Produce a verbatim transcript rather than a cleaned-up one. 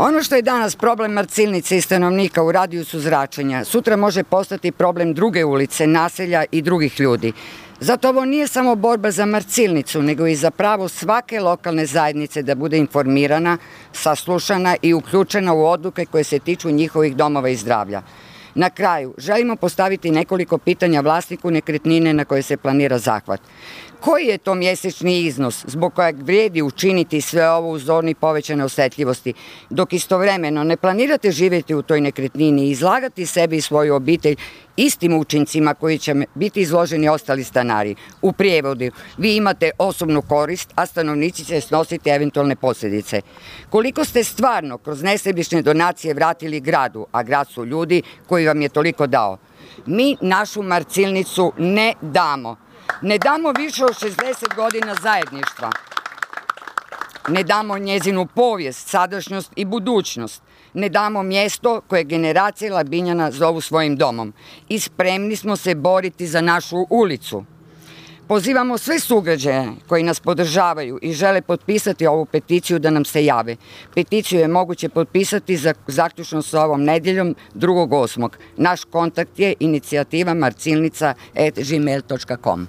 Ono što je danas problem Marcilnice i stanovnika u radijusu zračenja, sutra može postati problem druge ulice, naselja i drugih ljudi. Zato ovo nije samo borba za Marcilnicu, nego i za pravo svake lokalne zajednice da bude informirana, saslušana i uključena u odluke koje se tiču njihovih domova i zdravlja. Na kraju, želimo postaviti nekoliko pitanja vlasniku nekretnine na koje se planira zahvat. Koji je to mjesečni iznos zbog kojeg vrijedi učiniti sve ovo uz zoni povećane osjetljivosti, dok istovremeno ne planirate živjeti u toj nekretnini i izlagati sebi i svoju obitelj istim učincima koji će biti izloženi ostali stanari? U prijevodu, vi imate osobnu korist, a stanovnici će snositi eventualne posljedice. Koliko ste stvarno kroz nesebične donacije vratili gradu, a grad su ljudi koji vam je toliko dao? Mi našu Marcilnicu ne damo. Ne damo više od šezdeset godina zajedništva. Ne damo njezinu povijest, sadašnjost i budućnost. Ne damo mjesto koje generacije Labinjana zovu svojim domom. I spremni smo se boriti za našu ulicu. Pozivamo sve sugrađane koji nas podržavaju i žele potpisati ovu peticiju da nam se jave. Peticiju je moguće potpisati za, zaključno sa ovom nedjeljom drugog osmog Naš kontakt je inicijativa marcilnica at gmail dot com.